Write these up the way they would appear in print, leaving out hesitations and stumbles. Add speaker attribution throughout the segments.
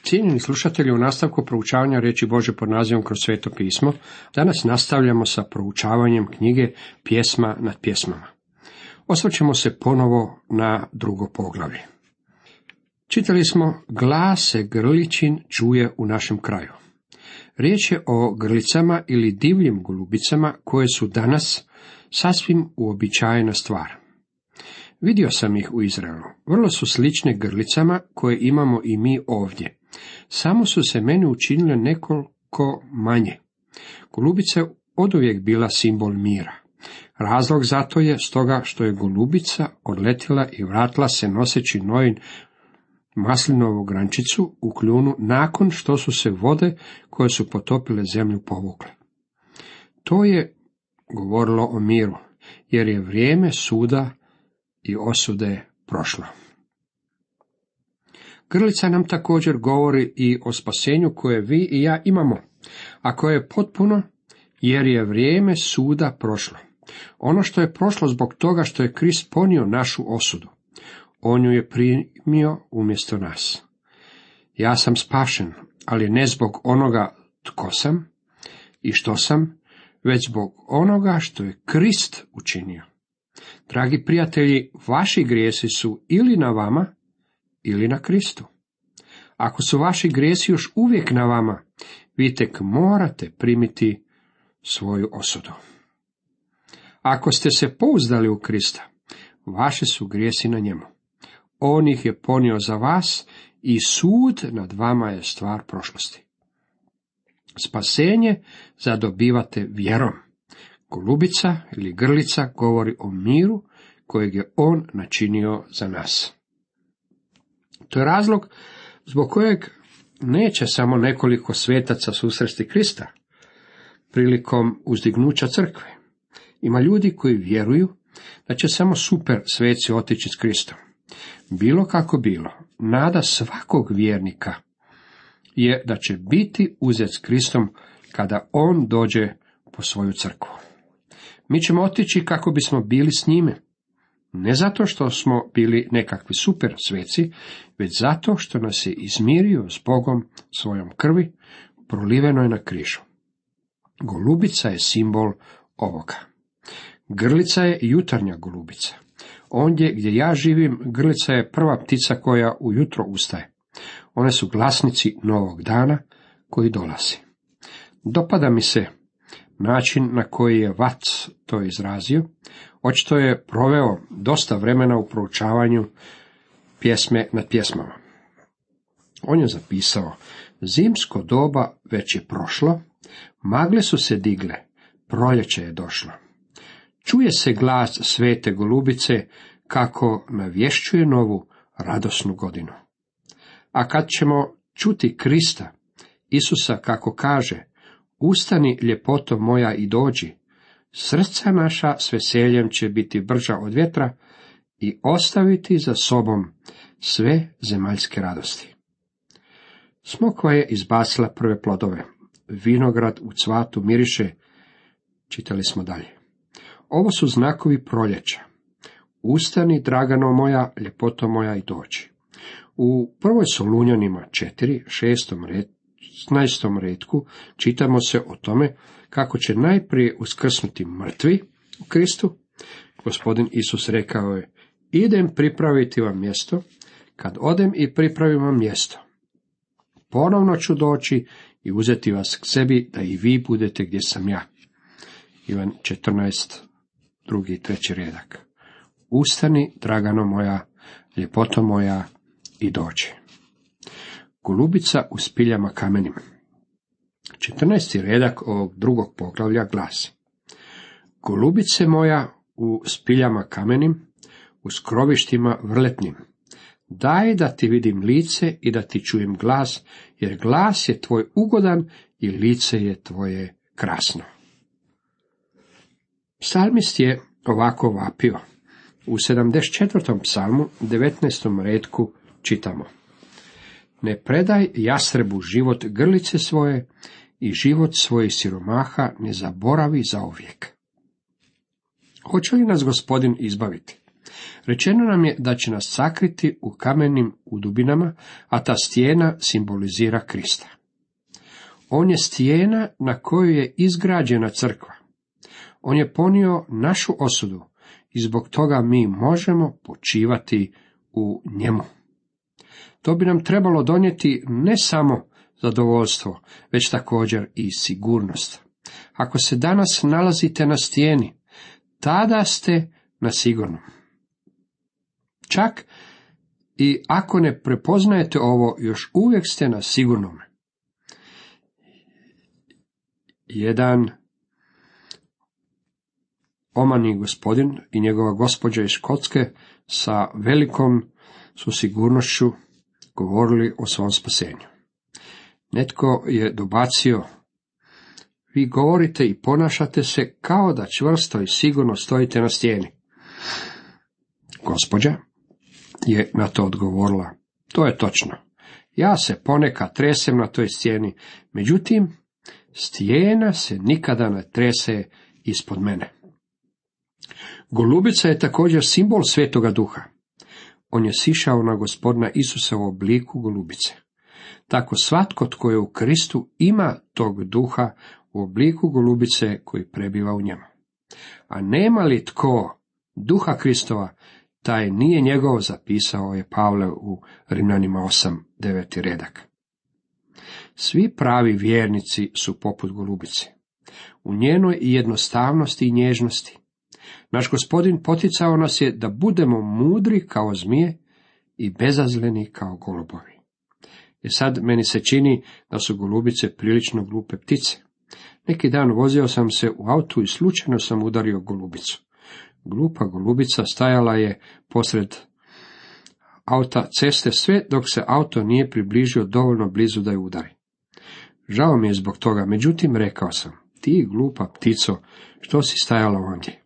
Speaker 1: Cijenjeni slušatelji, u nastavku proučavanja riječi Božje pod nazivom Kroz sveto pismo, danas nastavljamo sa proučavanjem knjige Pjesma nad pjesmama. Osvrćemo se ponovo na drugo poglavlje. Čitali smo: glas se grličin čuje u našem kraju. Riječ je o grlicama ili divljim golubicama koje su danas sasvim uobičajena stvar. Vidio sam ih u Izraelu. Vrlo su slične grlicama koje imamo i mi ovdje. Samo su se meni učinile nekoliko manje. Golubica je oduvijek bila simbol mira. Razlog za to je stoga što je golubica odletjela i vratila se noseći Noin maslinovu grančicu u kljunu nakon što su se vode koje su potopile zemlju povukle. To je govorilo o miru, jer je vrijeme suda i osude prošlo. Grlica nam također govori i o spasenju koje vi i ja imamo, a koje je potpuno, jer je vrijeme suda prošlo. Ono što je prošlo zbog toga što je Krist ponio našu osudu. On ju je primio umjesto nas. Ja sam spašen, ali ne zbog onoga tko sam i što sam, već zbog onoga što je Krist učinio. Dragi prijatelji, vaši grijesi su ili na vama, ili na Kristu. Ako su vaši grijesi još uvijek na vama, vi tek morate primiti svoju osudu. Ako ste se pouzdali u Krista, vaši su grijesi na njemu. On ih je ponio za vas i sud nad vama je stvar prošlosti. Spasenje zadobivate vjerom. Golubica ili grlica govori o miru kojeg je on načinio za nas. To je razlog zbog kojeg neće samo nekoliko svetaca susresti Krista prilikom uzdignuća crkve. Ima ljudi koji vjeruju da će samo super sveci otići s Kristom. Bilo kako bilo, nada svakog vjernika je da će biti uzet s Kristom kada on dođe po svoju crkvu. Mi ćemo otići kako bismo bili s njime. Ne zato što smo bili nekakvi super sveci, već zato što nas je izmirio s Bogom svojom krvi, prolivenoj na križu. Golubica je simbol ovoga. Grlica je jutarnja golubica. Ondje gdje ja živim, grlica je prva ptica koja ujutro ustaje. One su glasnici novog dana koji dolazi. Dopada mi se način na koji je Vac to izrazio. Očito je proveo dosta vremena u proučavanju pjesme nad pjesmama. On je zapisao: zimsko doba već je prošlo, magle su se digle, proljeće je došlo. Čuje se glas svete golubice kako navješćuje novu radosnu godinu. A kad ćemo čuti Krista, Isusa kako kaže: ustani ljepoto moja i dođi, srca naša s veseljem će biti brža od vjetra i ostaviti za sobom sve zemaljske radosti. Smokva je izbacila prve plodove, vinograd u cvatu miriše, čitali smo dalje. Ovo su znakovi proljeća. Ustani, dragano moja, ljepoto moja i dođi. U prvoj Solunjanima 4, 16. redku čitamo se o tome kako će najprije uskrsnuti mrtvi u Kristu. Gospodin Isus rekao je: idem pripraviti vam mjesto, kad odem i pripravim vam mjesto, ponovno ću doći i uzeti vas k sebi, da i vi budete gdje sam ja. Ivan 14, 2. i 3. redak. Ustani, dragano moja, ljepoto moja i dođi. Golubica u spiljama kamenima. 14. redak ovog drugog poglavlja glasi: golubice moja u spiljama kamenim, u skrovištima vrletnim, daj da ti vidim lice i da ti čujem glas, jer glas je tvoj ugodan i lice je tvoje krasno. Psalmist je ovako vapio. U 74. psalmu, 19. redku čitamo: ne predaj jastrebu život grlice svoje i život svojih siromaha ne zaboravi zauvijek. Hoće li nas Gospodin izbaviti? Rečeno nam je da će nas sakriti u kamenim udubinama, a ta stijena simbolizira Krista. On je stijena na kojoj je izgrađena crkva. On je ponio našu osudu i zbog toga mi možemo počivati u njemu. To bi nam trebalo donijeti ne samo zadovoljstvo, već također i sigurnost. Ako se danas nalazite na stijeni, tada ste na sigurnom. Čak i ako ne prepoznajete ovo, još uvijek ste na sigurnome. Jedan omani gospodin i njegova gospođa iz Škotske sa velikom su sigurnošću govorili o svom spasenju. Netko je dobacio: vi govorite i ponašate se kao da čvrsto i sigurno stojite na stijeni. Gospođa je na to odgovorila: to je točno. Ja se ponekad tresem na toj stijeni, međutim, stijena se nikada ne trese ispod mene. Golubica je također simbol Svetoga Duha. On je sišao na Gospodina Isusa u obliku golubice. Tako svatko tko je u Kristu ima tog duha u obliku golubice koji prebiva u njemu. A nema li tko duha Kristova, taj nije njegov, zapisao je Pavle u Rimljanima 8:9 redak. Svi pravi vjernici su poput golubice. U njenoj jednostavnosti i nježnosti. Naš Gospodin poticao nas je da budemo mudri kao zmije i bezazleni kao golubovi. Sad meni se čini da su golubice prilično glupe ptice. Neki dan vozio sam se u autu i slučajno sam udario golubicu. Glupa golubica stajala je posred auta ceste sve dok se auto nije približio dovoljno blizu da je udari. Žao mi je zbog toga, međutim rekao sam: ti glupa ptico, što si stajala ondje?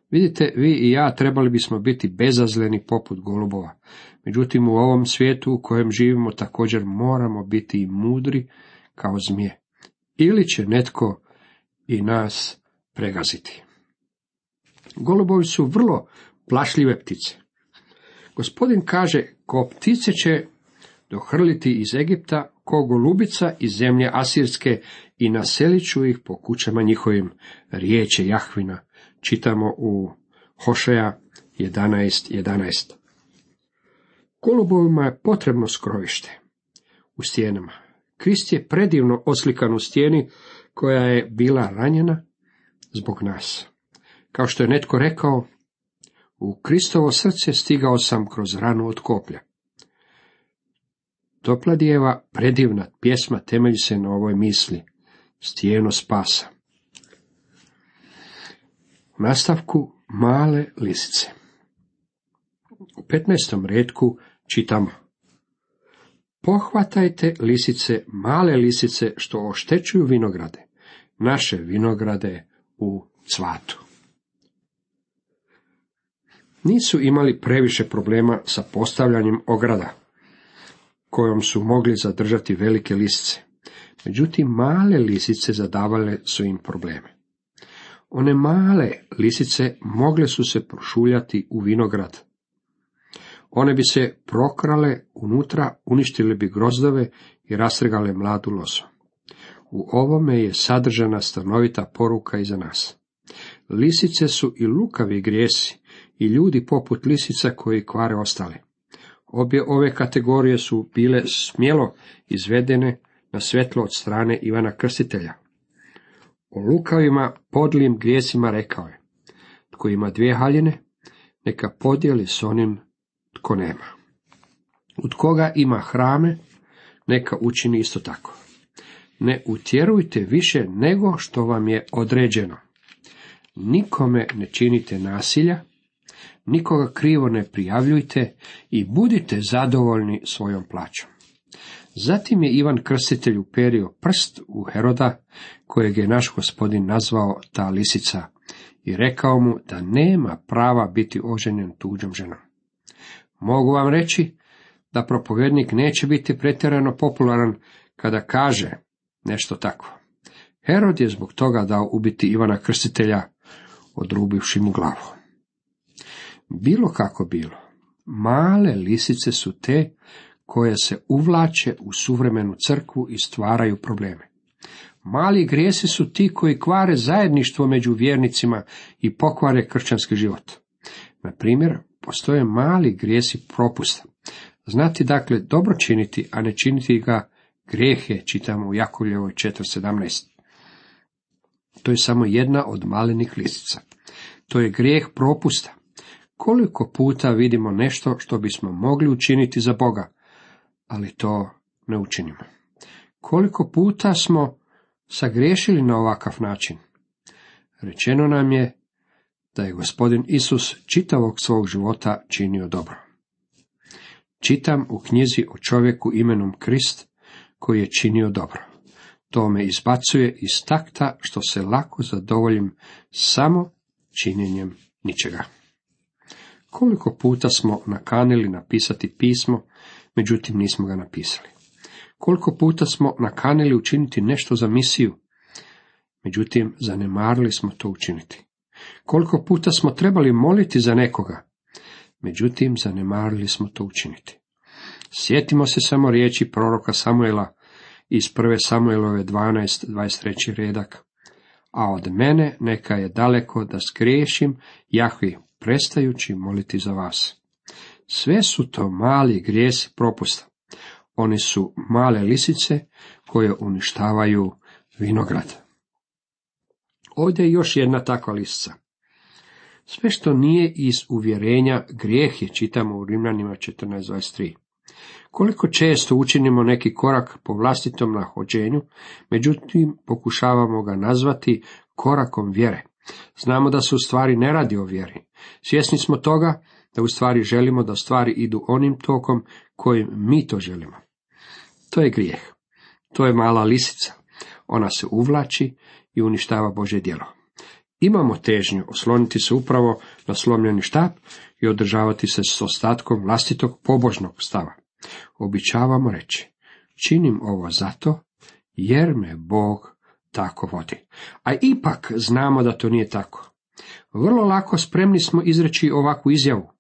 Speaker 1: Vidite, vi i ja trebali bismo biti bezazleni poput golubova. Međutim, u ovom svijetu u kojem živimo također moramo biti i mudri kao zmije. Ili će netko i nas pregaziti. Golubovi su vrlo plašljive ptice. Gospodin kaže: ko ptice će dohrliti iz Egipta, ko golubica iz zemlje Asirske, i naselit ću ih po kućama njihovim. Riječ je Jahvina. Čitamo u Hošeja 11:11. Golubovima je potrebno skrovište u stijenama. Krist je predivno oslikan u stijeni koja je bila ranjena zbog nas. Kao što je netko rekao: u Kristovo srce stigao sam kroz ranu od koplja. Topladijeva predivna pjesma temelji se na ovoj misli: stijeno spasa. U nastavku male lisice. U 15. retku čitamo: pohvatajte lisice, male lisice što oštećuju vinograde, naše vinograde u cvatu. Nisu imali previše problema sa postavljanjem ograda, kojom su mogli zadržati velike lisice. Međutim, male lisice zadavale su im probleme. One male lisice mogle su se prošuljati u vinograd. One bi se prokrale unutra, uništile bi grozdove i rastrgale mladu lozu. U ovome je sadržana stanovita poruka i za nas. Lisice su i lukavi grijesi, i ljudi poput lisica koji kvare ostale. Obje ove kategorije su bile smjelo izvedene na svjetlo od strane Ivana Krstitelja. O lukavima podlim grijesima rekao je: tko ima 2 haljine, neka podijeli s onim tko nema. Od koga ima hrame, neka učini isto tako. Ne utjerujte više nego što vam je određeno. Nikome ne činite nasilja, nikoga krivo ne prijavljujte i budite zadovoljni svojom plaćom. Zatim je Ivan Krstitelj uperio prst u Heroda, kojeg je naš Gospodin nazvao ta lisica, i rekao mu da nema prava biti oženjen tuđom ženom. Mogu vam reći da propovjednik neće biti pretjerano popularan kada kaže nešto takvo. Herod je zbog toga dao ubiti Ivana Krstitelja, odrubivši mu glavu. Bilo kako bilo, male lisice su te koje se uvlače u suvremenu crkvu i stvaraju probleme. Mali grijesi su ti koji kvare zajedništvo među vjernicima i pokvare kršćanski život. Na primjer, postoje mali grijesi propusta. Znati dakle dobro činiti, a ne činiti ga grijeh je, čitamo u Jakovljevoj 4:17. To je samo jedna od malenih lisica. To je grijeh propusta. Koliko puta vidimo nešto što bismo mogli učiniti za Boga, ali to ne učinimo. Koliko puta smo sagriješili na ovakav način. Rečeno nam je da je Gospodin Isus čitavog svog života činio dobro. Čitam u knjizi o čovjeku imenom Krist koji je činio dobro. To me izbacuje iz takta što se lako zadovoljim samo činjenjem ničega. Koliko puta smo nakanili napisati pismo, međutim nismo ga napisali. Koliko puta smo nakanili učiniti nešto za misiju, međutim zanemarili smo to učiniti. Koliko puta smo trebali moliti za nekoga, međutim zanemarili smo to učiniti. Sjetimo se samo riječi proroka Samuela iz 1. Samuelove 12:23 redak. A od mene neka je daleko da skriješim, Jahvi, prestajući moliti za vas. Sve su to mali grijesi propusta. Oni su male lisice koje uništavaju vinograd. Ovdje je još jedna takva lisica. Sve što nije iz uvjerenja grijeh je, čitamo u Rimljanima 14:23. Koliko često učinimo neki korak po vlastitom nahođenju, međutim pokušavamo ga nazvati korakom vjere. Znamo da se u stvari ne radi o vjeri. Svjesni smo toga da u stvari želimo da stvari idu onim tokom kojim mi to želimo. To je grijeh. To je mala lisica. Ona se uvlači i uništava Božje djelo. Imamo težnju osloniti se upravo na slomljeni štap i održavati se s ostatkom vlastitog pobožnog stava. Običavamo reći, činim ovo zato jer me Bog tako vodi. A ipak znamo da to nije tako. Vrlo lako spremni smo izreći ovakvu izjavu.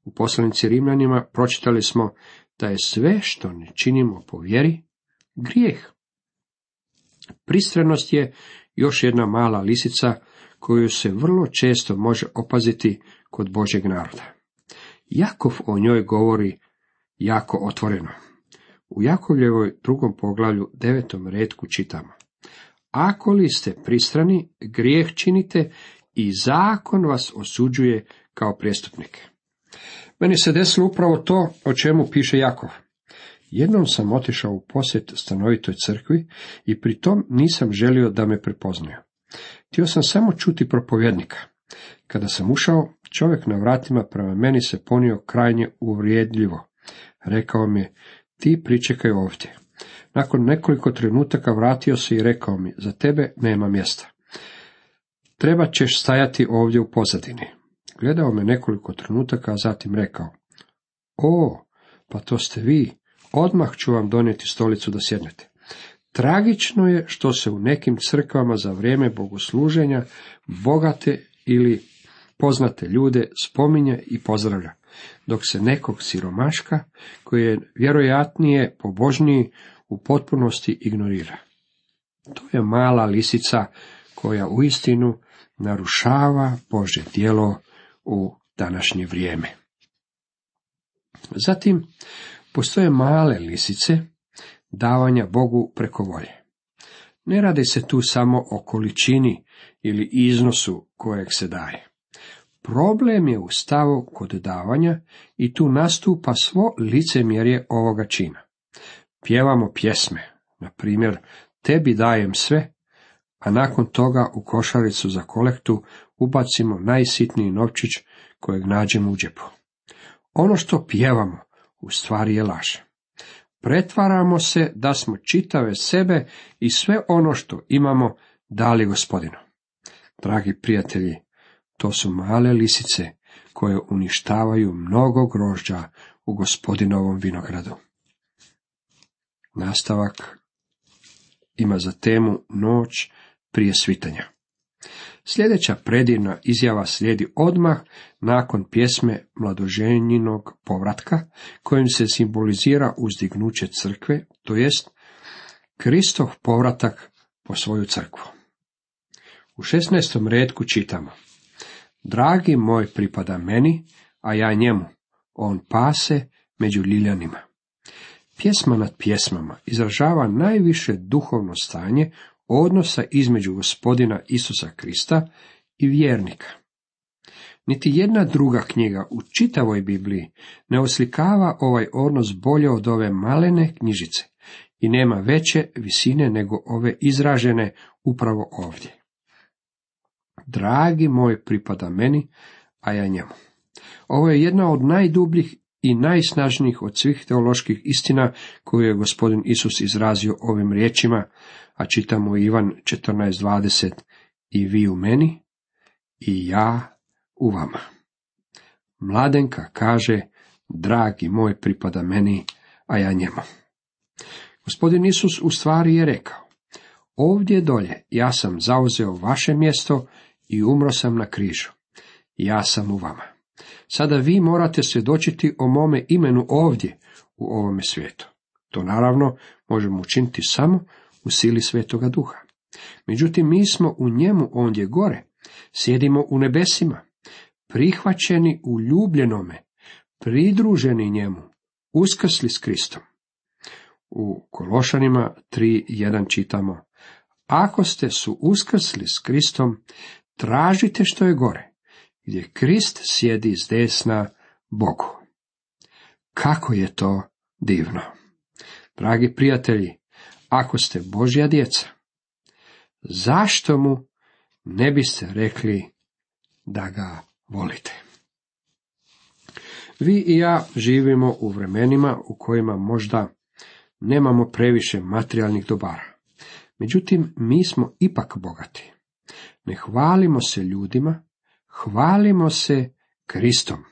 Speaker 1: U poslanici Rimljanima pročitali smo da je sve što ne činimo po vjeri grijeh. Pristranost je još jedna mala lisica koju se vrlo često može opaziti kod Božjeg naroda. Jakov o njoj govori jako otvoreno. U Jakovljevoj 2. poglavlju 9. retku čitamo: Ako li ste pristrani, grijeh činite i zakon vas osuđuje kao prijestupnike. Meni se desilo upravo to o čemu piše Jakov. Jednom sam otišao u posjet stanovitoj crkvi i pri tom nisam želio da me prepoznaju. Htio sam samo čuti propovjednika. Kada sam ušao, čovjek na vratima prema meni se ponio krajnje uvrijedljivo. Rekao mi: ti pričekaj ovdje. Nakon nekoliko trenutaka vratio se i rekao mi: za tebe nema mjesta. Treba ćeš stajati ovdje u pozadini. Gledao me nekoliko trenutaka, a zatim rekao: o, pa to ste vi, odmah ću vam donijeti stolicu da sjednete. Tragično je što se u nekim crkvama za vrijeme bogosluženja bogate ili poznate ljude spominje i pozdravlja, dok se nekog siromaška, koji je vjerojatnije pobožniji, u potpunosti ignorira. To je mala lisica koja uistinu narušava Božje djelo u današnje vrijeme. Zatim, postoje male lisice davanja Bogu preko volje. Ne radi se tu samo o količini ili iznosu kojeg se daje. Problem je u stavu kod davanja i tu nastupa svo licemjerje ovoga čina. Pjevamo pjesme, na primjer, tebi dajem sve, a nakon toga u košaricu za kolektu ubacimo najsitniji novčić kojeg nađemo u džepu. Ono što pjevamo u stvari je laž. Pretvaramo se da smo čitave sebe i sve ono što imamo dali Gospodinu. Dragi prijatelji, to su male lisice koje uništavaju mnogo grožđa u Gospodinovom vinogradu. Nastavak ima za temu noć prije svitanja. Sljedeća predivna izjava slijedi odmah nakon pjesme mladoženjinog povratka, kojim se simbolizira uzdignuće crkve, to jest Kristov povratak po svoju crkvu. U 16. retku čitamo: Dragi moj pripada meni, a ja njemu, on pase među ljiljanima. Pjesma nad pjesmama izražava najviše duhovno stanje odnosa između Gospodina Isusa Krista i vjernika. Niti jedna druga knjiga u čitavoj Bibliji ne oslikava ovaj odnos bolje od ove malene knjižice i nema veće visine nego ove izražene upravo ovdje. Dragi moj pripada meni, a ja njemu. Ovo je jedna od najdubljih i najsnažnijih od svih teoloških istina koju je Gospodin Isus izrazio ovim riječima, a čitamo Ivan 14:20, i vi u meni, i ja u vama. Mladenka kaže, dragi moj pripada meni, a ja njemu. Gospodin Isus u stvari je rekao, ovdje dolje ja sam zauzeo vaše mjesto i umro sam na križu. Ja sam u vama. Sada vi morate svjedočiti o mome imenu ovdje, u ovome svijetu. To naravno možemo učiniti samo u sili Svetoga Duha. Međutim, mi smo u njemu ondje gore, sjedimo u nebesima, prihvaćeni u ljubljenome, pridruženi njemu, uskrsli s Kristom. U Kološanima 3:1 čitamo: Ako ste su uskrsli s Kristom, tražite što je gore, gdje Krist sjedi s desna Bogu. Kako je to divno! Dragi prijatelji, ako ste Božja djeca, zašto mu ne biste rekli da ga volite? Vi i ja živimo u vremenima u kojima možda nemamo previše materijalnih dobara. Međutim, mi smo ipak bogati. Ne hvalimo se ljudima, hvalimo se Kristom.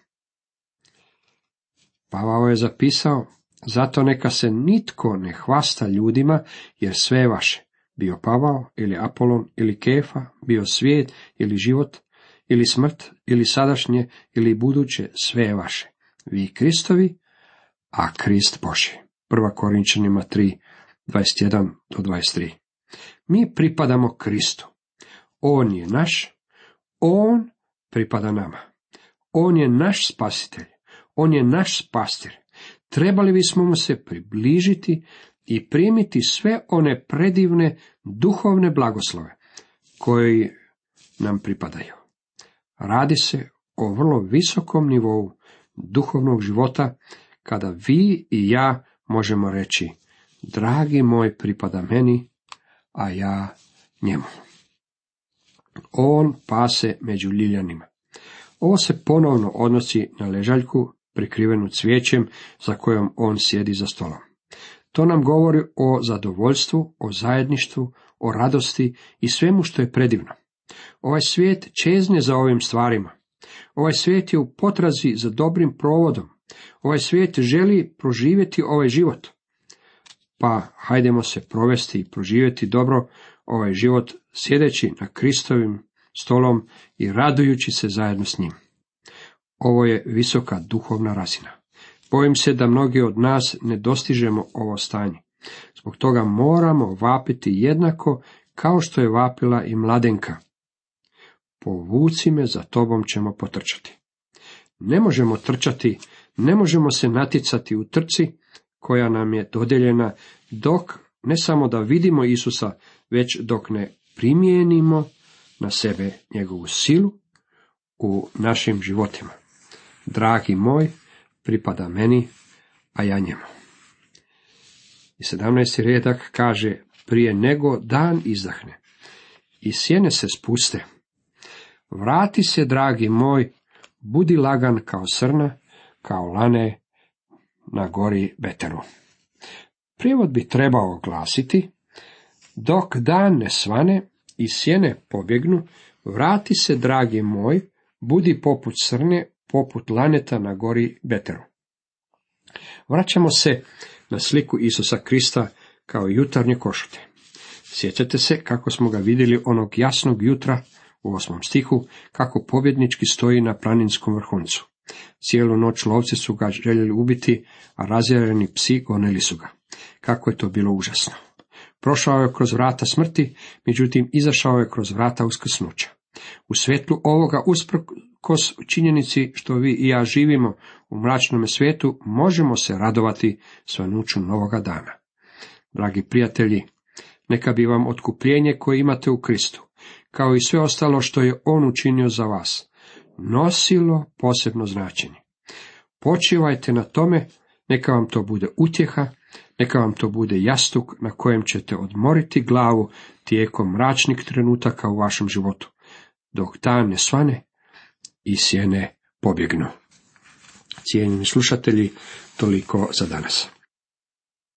Speaker 1: Pavao je zapisao, zato neka se nitko ne hvasta ljudima, jer sve je vaše. Bio Pavao, ili Apolon, ili Kefa, bio svijet, ili život, ili smrt, ili sadašnje, ili buduće, sve je vaše. Vi Kristovi, a Krist Božji. 1. Korinčanima 3:21-23. Mi pripadamo Kristu. On je naš, on pripada nama. On je naš spasitelj, on je naš pastir. Trebali bismo mu se približiti i primiti sve one predivne duhovne blagoslove koji nam pripadaju. Radi se o vrlo visokom nivou duhovnog života, kada vi i ja možemo reći, dragi moj pripada meni, a ja njemu. On pase među ljiljanima. Ovo se ponovno odnosi na ležaljku prikrivenu cvijećem za kojom on sjedi za stolom. To nam govori o zadovoljstvu, o zajedništvu, o radosti i svemu što je predivno. Ovaj svijet čezne za ovim stvarima. Ovaj svijet je u potrazi za dobrim provodom. Ovaj svijet želi proživjeti ovaj život. Pa hajdemo se provesti i proživjeti dobro ovaj život sjedeći na Kristovim stolom i radujući se zajedno s njim. Ovo je visoka duhovna razina. Bojim se da mnogi od nas ne dostižemo ovo stanje. Zbog toga moramo vapiti jednako kao što je vapila i mladenka. Povuci me, za tobom ćemo potrčati. Ne možemo trčati, ne možemo se natjecati u trci koja nam je dodijeljena dok ne samo da vidimo Isusa, već dok ne primijenimo na sebe njegovu silu u našim životima. Dragi moj, pripada meni, a ja njemu. I 17. redak kaže, prije nego dan izdahne i sjene se spuste, vrati se, dragi moj, budi lagan kao srna, kao lane na gori Beteru. Prijevod bi trebao glasiti, dok dan ne svane i sjene pobjegnu, vrati se, dragi moj, budi poput srne, poput laneta na gori Beteru. Vraćamo se na sliku Isusa Krista kao jutarnje košute. Sjećate se kako smo ga vidjeli onog jasnog jutra u 8. stihu, kako pobjednički stoji na planinskom vrhuncu. Cijelu noć lovci su ga željeli ubiti, a razjareni psi gonili su ga. Kako je to bilo užasno. Prošao je kroz vrata smrti, međutim izašao je kroz vrata uskrsnuća. U svjetlu ovoga, usprkos činjenici što vi i ja živimo u mračnome svijetu, možemo se radovati svanuću novoga dana. Dragi prijatelji, neka bi vam otkupljenje koje imate u Kristu, kao i sve ostalo što je On učinio za vas, nosilo posebno značenje. Počivajte na tome, neka vam to bude utjeha, neka vam to bude jastuk na kojem ćete odmoriti glavu tijekom mračnih trenutaka u vašem životu, dok dan ne svane i sjene pobjegnu. Cijenjeni slušatelji, toliko za danas.